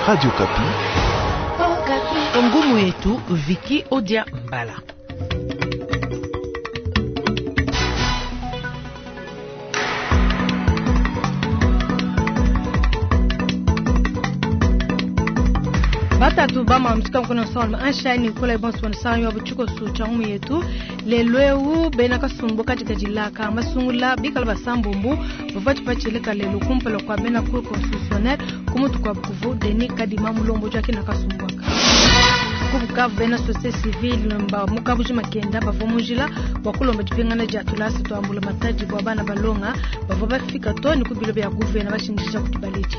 Radio Okapi. Ngumu yetu Viki Odia Mbala. Batatu bama mtuka mkono salma anshani kula ibonso wansanyo abuchuko su changu yetu lelweu bena kasumbu katika jilaka masungula bikala basambumbu bavati pachileka lelo kumpala kwa bena cour constitutionnelle kumutu kwa bukuvu Denis Kadima Mulombo jake na kasumbwaka kubukavu bena société civile mba mukabuji makenda bava mujila bwa kulomba dipingana dia tulasa twambula matadi bwa bana balonga bava bafika to ni kubilo bya guvena bashindisha kutubaliji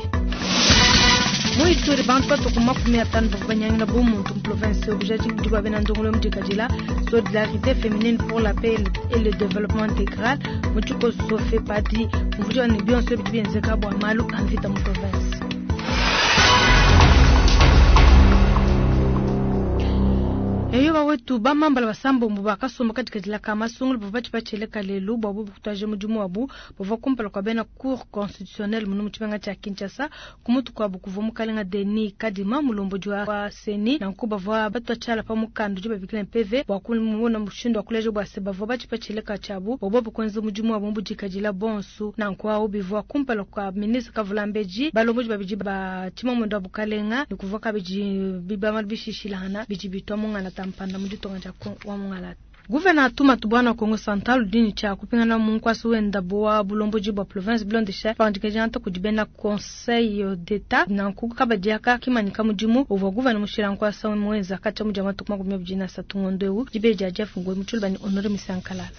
mu Ituri bantu batuku 50 bavua banyangila bumuntu mu province obujaji budi bwa bena ndongolo mudikadila solidarité féminine pour la paix et le développement intégral mu tshikoso FEPADI muvudi wa ne bionso bidi bienzeka bua malu a mvita mu province. Eyo bawetu bamambala basambombo bakasomba katika dilaka masungulu bavua batshipatshileka lelu bua bubu kutwaje mudimu wabu bavua kumpala kwa bena cour constitutionnelle munu mu tshimenga tshia Kinshasa kumutu kuabu kuvua mukalenga Denis Kadima mulombodi wa CENI nanku bavua batwa pa mukanda udi babikila PV bua kumona mushindu wa kuleja bua se bavua batshipatshileka tshiabu bua bobu kuenza mudimu wabu mbudikadila bonso nanku awu bivua kumpala kwa ministre Kavulambedji balombodi babidi ba tshimamunda wa bukalenga ne kuvua kabidi bibama bishishilangana bidi bitwa mungana tampanda mu ditonga dia wa mungala. Guvena Atuma Tubwana Kongo Central udini cha kupingana mu nkwasi wenda bwa bulomboji bwa province bilondesha pandika kudi bena conseil d'etat nanku kabadiaka kimanyika mudimu uvua guvena mushila nkwasa mwenza kacha mudia matuku 23 ngondo eu dibe dia Jeff Ngwe mutshulubani Honore Misankalala.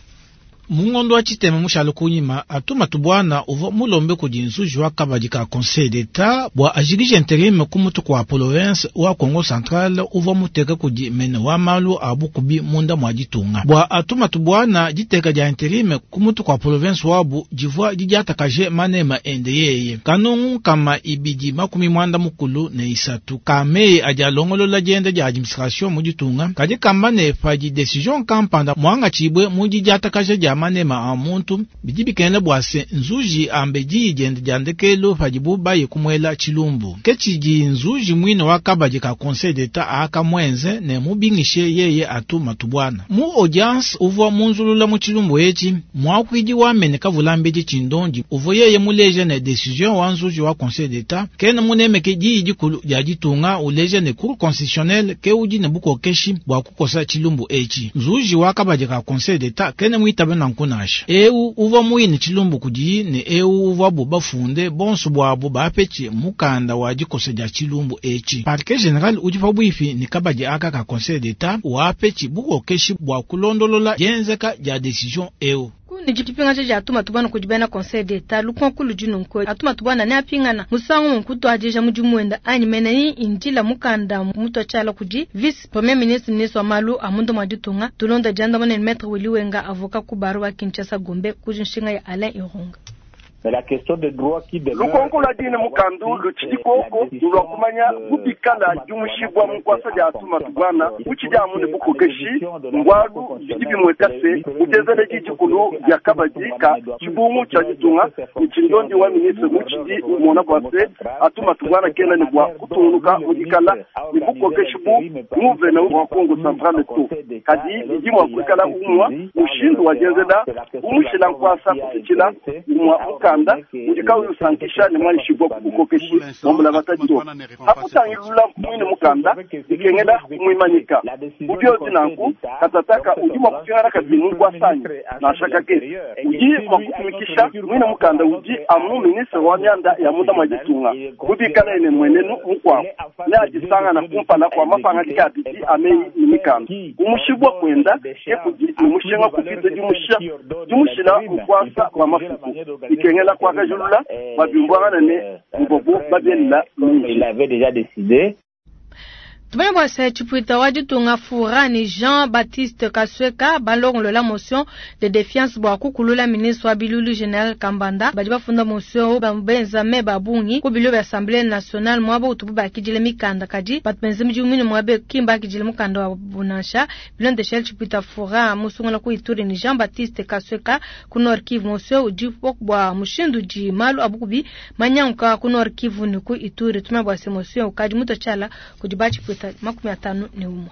Mungondo wa tshitema mushalo kunyima Atuma Tubwana uvua mulombe kudi nzuji wa kabadi ka conseil d'etat bua ajikije interim ku mutu kwa province wa Kongo Central uvua muteka kudi mene wa malu a bukubi munda mua ditunga. Bua Atuma Tubwana diteka dia interim ku mutu kwa province wabu divua didiatakaje manema ende yeye. Kanungu kama ibidi 93 kamei adi alongolola dienda dia administration mu ditunga kadi kamba ne padi decision kampanda mwanga tshibwe mu didiatakaje dia manema a muntu bidi bikengela bua se nzuji ambe diyi diende dia ndekelu padibu baye kumwela tshilumbu. Ke tshidi nzuji muine wa kabadi ka conseil d'etat aka mwenze ne mubingishe yeye Atuma Tubwana. Mu audience uvua munzulula mu tshilumbu etshi muakuidi wa mene Kavulambedi Tshindondi uvua yeye muleje ne decision wa nzuji wa conseil d'etat kena munemeke diyi dikulu dia ditunga uleje ne cour constitutionnelle ke udi ne bukokeshi bua kukosa tshilumbu etshi. Nzuji wa kabadi ka conseil d'etat kena muitabe nanku nansha. Eu uvua muine tshilumbu kudiyi ne eu uvua bu bafunde bonso bwabo bapetshi mukanda wa dikosa dia tshilumbu etshi. Parquet general udi pabuipi ne kabadi aka ka conseil d'etat wapetshi bukokeshi bua kulondolola dienzeka dia decision eu. Kundi dipingaja dia Atuma Tubwana kudi bena conseil d'etat lukonko ludi nunku Atuma Tubwana ne apingana musangu munkutu adija mudimu wenda anyi mene ni indila mukanda mutu atshala kudi vice premier ministre ministre wa malu a munda mua ditunga tulonda diandamana ne maître Willy Wenga avocat ku barreau wa Kinshasa Gombe kuji nshinga ya Alain Irunga. Mais la question de droit qui demeure lukonko lwa dine mukandu lutshidi koko lulwa kumanya kubikala diumushibwa munkwasa dia Atuma Tubwana utshidi amu ne bukokeshi ngwalu bidi bimweka se utezele didikulu dia kabadi ka tshibungu tshia ditunga ne tshindondi wa ministre mutshidi umona bua se Atuma Tubwana kena ne bua kutungunuka mudikala ne bukokeshi bu nguvena wa Kongo Central to kadi bidi mua kuikala umwa mushindu wa dienzela umushila nkwasa kupitshila umwa mukanda udi kauyi usankisha ne mwanyishibwa ku bukokeshi wambula batadi to hakutangilula mwine mukanda bikengela kumwimanyika ubiozi nanku katataka udi mua kupingana kabidi mu nkwasanyi nansha kakese udi mua kutumikisha mwine mukanda udi amu ministre wa mianda ya munda mwa ditunga kubikala ene mwenenu mukuabu ne adisangana kumpala kua mapangadika abidi ameyi ne mikanda kumushibwa kwenda ke kudi ne mushinga kupita dimushila nkwasa wa mafuku bikengela kuakajulula babimbwangana ne mbobu babienela mingi. Il avait déjà décidé. Tumanye bua se tshipuita wa ditunga Fura ne Jean Baptiste Kasweka balongolola motion de defiance bua kukulula ministre wa bilulu General Kambanda. Badi bafunda motion benza meba a bungi ku bilo bia Assemblée nationale muaba utubu bakidile mikanda, kadi batu benza midimu mine muaba ki mbakidile mukanda wa bunansha. Bilondeshele tshipuita Fura musungula ku Ituri ne Jean Baptiste Kasweka ku Nord Kivu, motion udi bua mushindu udi malu a bukubi manyanguka ku Nord Kivu ne ku Ituri. Tumanye bua se motion ukadi mutua tshiala kudi batshipuita 51.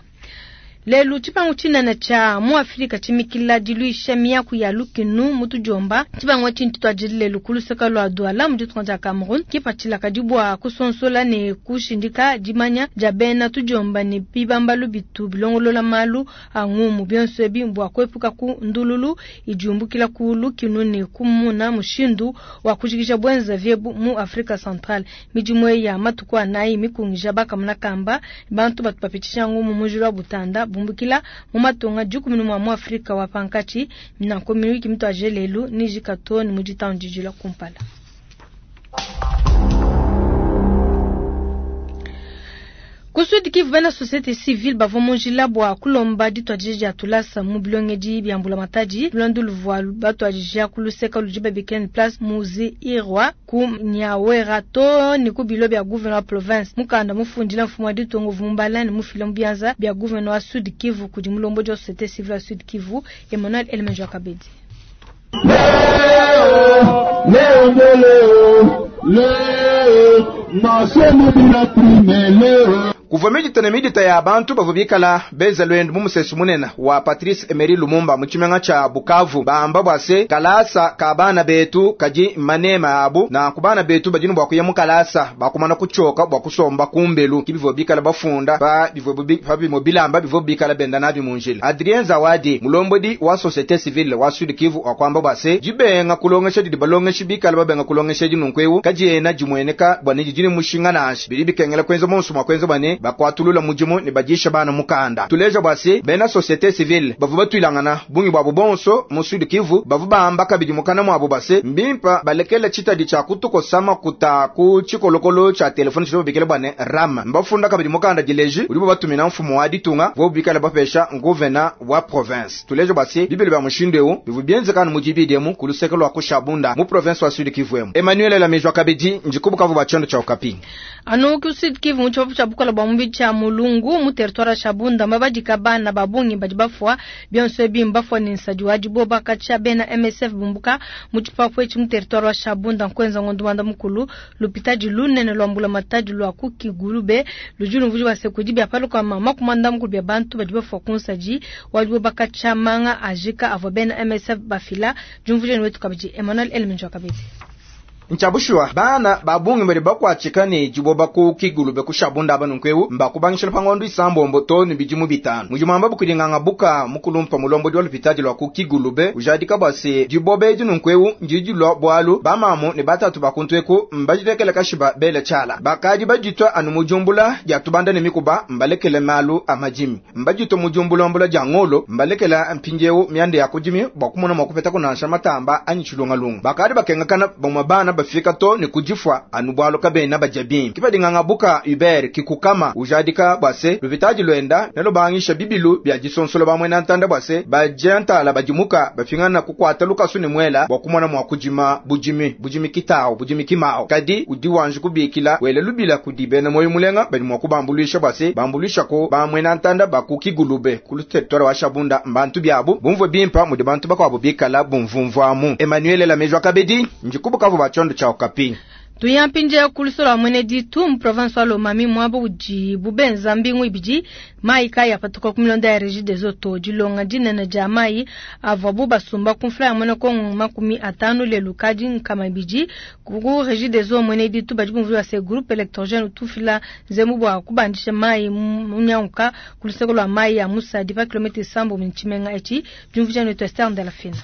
Lelu tshipangu tshinene tshia mu Afrika tshimikila diluisha miaku ya lukinu mu tudiomba. Tshipangu etshi ntshituadije lelu ku luseke lua Douala mu ditunga dia Cameroun. Kipatshila kadi bua kusonsola ne kushindika dimanya dia bena tudiomba ne bibambalu bitu bilongolola malu a ngumu. Bionso ebi mbua kuepuka ku ndululu idi yumbukila ku lukinu ne kumuna mushindu wa kujikija buenzavi ebu mu Afrika Central. Midimu eyi ya matuku anayi mikungija bakamuna kamba bantu batu bapitshisha ngumu mu njila wa butanda bumbukila mu matunga 11 mu Afrika wa pankatshi. Nanku miyuki mituadije lelu nijika too ne mu ditanu dijila kumpala. Ku Sud Kivu, bena société civile bavua mu njila bua kulomba dituadija dia tulasa mu bilongedi bia mbulamatadi. Luendu luvua batuadija ku luseke ludi babikila ne place Muzi Irwa ku Nyawera too ne ku bilo bia gouverneur wa province. Mukanda mufundila mfumu wa ditunga uvua mubala ne mufila mu bianza bia gouverneur wa Sud Kivu kudi mulombodi wa société civile wa Sud Kivu Emmanuel Elemenjo Kabedi. Leo, leo, leo, masomo bila prime leo. Kuvua midita ne midita ya bantu bavua bikala benza lwendo mu musesu munene wa Patrice Emery Lumumba mu tshimenga tshia Bukavu, bamba bua se kalasa ka bana betu kadi manema abu na ku bana betu badi ne bua kuya mu kalasa bakumana kutshoka bua kusomba kumbelu. Ki bivua bikala bafunda pa bivua pa bimue bilamba bivua bikala benda nabi mu njila. Adrien Zawadi mulombodi wa société civile wa Sud Kivu wakwamba bua se dibenga kulongesha didi balongeshi bikala babenga kulongesha dinunku kadiena dimueneka bua ne didi ne mushinga nansha bidi bikengela kuenza monso mua kuenza bua ne bakwatulula mudimu ne badisha bana mukanda. Tuleja bua se bena société civile bavu batuilangana bungi bwabo bonso mu Sud Kivu bavu bahamba kabidi mukana mwabo base mbimpa balekela tshitadi tshia kutukosama kuta ku tshikolokolo tshia telefone tshidi babikila bua ne RAM. Mbafunda kabidi mukanda dileji udibo batumina mfumu wa ditunga vo bikala bapesha nguvena wa province. Tuleja bua se bibili bia mushindu eu bivu bienzekana mu dibidi emu ku luseke lua kushabunda mu province wa Sud Kivu emu. Emmanuel Lamejwa kabidi njikubukavu bua tshiondo tshia Okapi. Anu ku Sud Kivu mu tshipapu tshia bukola bua mubidi tshia Mulungu mu territoire ya Shabunda mabadika bana ba bungi badi bafua bionso ebi mbafua ne nsadi wa diboba katshia bena MSF bumbuka mu tshipapu etshi mu territoire wa Shabunda nkuenza ngondo wanda mukulu lupitadi lunene lwa mbula matadi lwa ku Kigulube ludi lumvudi wa sekudi bia paluka mama kumanda mukulu bia bantu badi bafua ku nsadi wa diboba katshia manga ajika avua bena MSF bafila jumvudi wetu kabidi Emmanuel Elmenjo kabidi. Nchabushuwa bana babungi bali bakwatshika ne diboba ku Kigulube ku Shabunda aba nunku mbakubangishila pangondo isambombo to ne bidimu bitanu. Mujimamba bukudinganga buka mukulumpa mulombodi wa lupitadi lwa ku Kigulube ujadika bua se diboba edi nunku ndidi lwa bwalu bamamu ne batatu bakuntu eku mbajilekele kashiba bele tshiala. Bakadi baditwa anu mujumbula dia tubanda ne mikuba mbalekele malu a madimi. Mbaditwa mujumbulambula dia ngolo mbalekela mpindieu mianda ya kudimi bua kumona mua kupeta kunansha matamba anyi tshilungalunga. Bakadi bakengakana bamwe bana bafika to ne kudifwa anu bwalo kabena baja bimpe. Kipadinganga buka Hubert kikukama ujadika bua se lupitadi lwenda nelubangisha bibilu bia disonsola bamwe na ntanda bua se bajentala badimuka bafingana kukwata lukasu ne mwela bua kumona mua kudima budimi budimi kitao budimi kimao. Kadi udi wanje kubikila wele lubila kudi bena moyo mulenga badi mua kubambuluisha bua se bambuluisha ko bamwe na ntanda baku Kigulube ku territoire wa Shabunda mbantu biabu bumvue bimpa mudi bantu bakuabu bikala bumvumvuamu. Emmanuel Lamejwa Kabedi njikubukavu ba tshiondo tshia Okapi. Tuyampinje kulusolo mwene ditu mu province wa Lomami mwabo udi bubenza mbingu ibidi mai kaya patuka ku milonda ya Regideso to dilonga dinene dia mai avua basumba ku mfula ya mwene kongo 50 lelu kadi nkama ibidi ku Regideso mwene ditu badi bumvua se groupe électrogène utufila nzembu bua kubandisha mai munyanguka ku luseke lua mai ya Musadi pa kilomètre 7 mu tshimenga etshi diumvuija ne Esther de la Fina.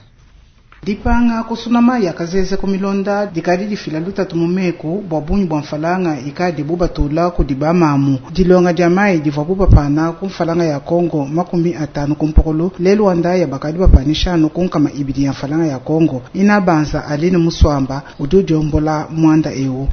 Dipanga kusuna mayi a kazeze ku milonda dikadi difila lutatu mu meku bua bungi bua mfalanga ikadi bubatula kudi bamamu. Dilonga dia mayi divua bubapana ku mfalanga ya Kongo 50 ku mpokolo lelu wa ndaya bakadi bapanisha anu ku 200 ya mfalanga ya Kongo. Inabanza Aline Muswamba udi udiombola mwanda eu.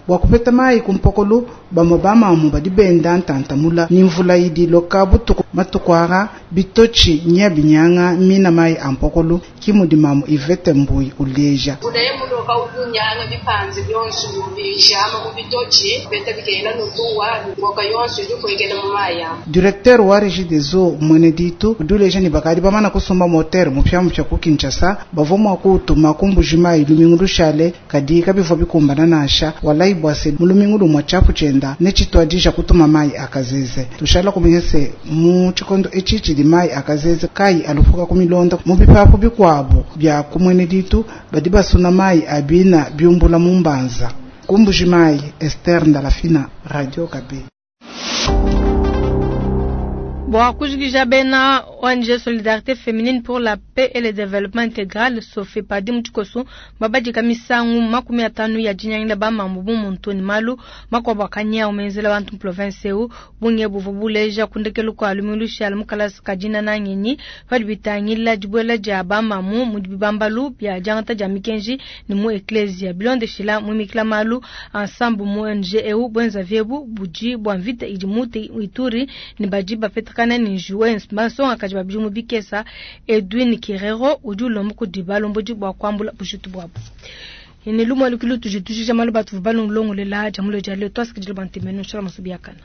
Bua kupeta mayi ku mpokolo bamue bamamu badi benda ntantamula ni mvula idi loka butuku matukwara bitochi nya binyanga mina mayi a mpokolo ki mudi mamu Ivete Mbui uleja. Directeur wa Régie des Eaux mwene ditu udi uleja ni bakadi bamana kusumba moteur mupya mupya ku Kinshasa bavua mua kutuma ku Mbuji-Mayi lumingu lushale kadi kabivua bikumbana nansha walai bwase mu lumingu lumua tshiapu tshienda ne tshituadija kutuma mayi akazeze. Tushala kumenya se mu tshikondo etshi tshidi mayi akazeze kayi alupuka ku milonda mu bipapu bikuabu bia ku mwene ditu badi basuna mayi abina biumbula mu mbanza. Ku Mbuji-Mayi, Esther Ndalafina, Radio Okapi. Bua kujikija bena ONG Solidarité Féminine pour la Paix et le Développement Intégral SOFEPADI mu tshikoso babadika misangu 50 ya dinyangila bamambu bu muntu ne malu makuabu akanyawu menzela bantu mu province eu bungi buvua buleja kundekelu kua lumingu lushala mu kalasa ka dinana ngenyi padi bitangila dibuela dia bamamu mu bibambalu bia diangata dia mikenji ne mu eklesia bilondeshila muimikila malu ensemble mu ONG eu bwenza vyebu budi bua mvita idi mu Ituri ne badi bapeta kana ni Juens Masonga kaji babidi mu bikesa Edwin Kirero udi ulomba kudi balombodi bua kuambula bujitu buabu. Ine lumwa lukilu tujitujija malu batu balongololela jamulo jale twasikidile bantemeno shala masubi yakana.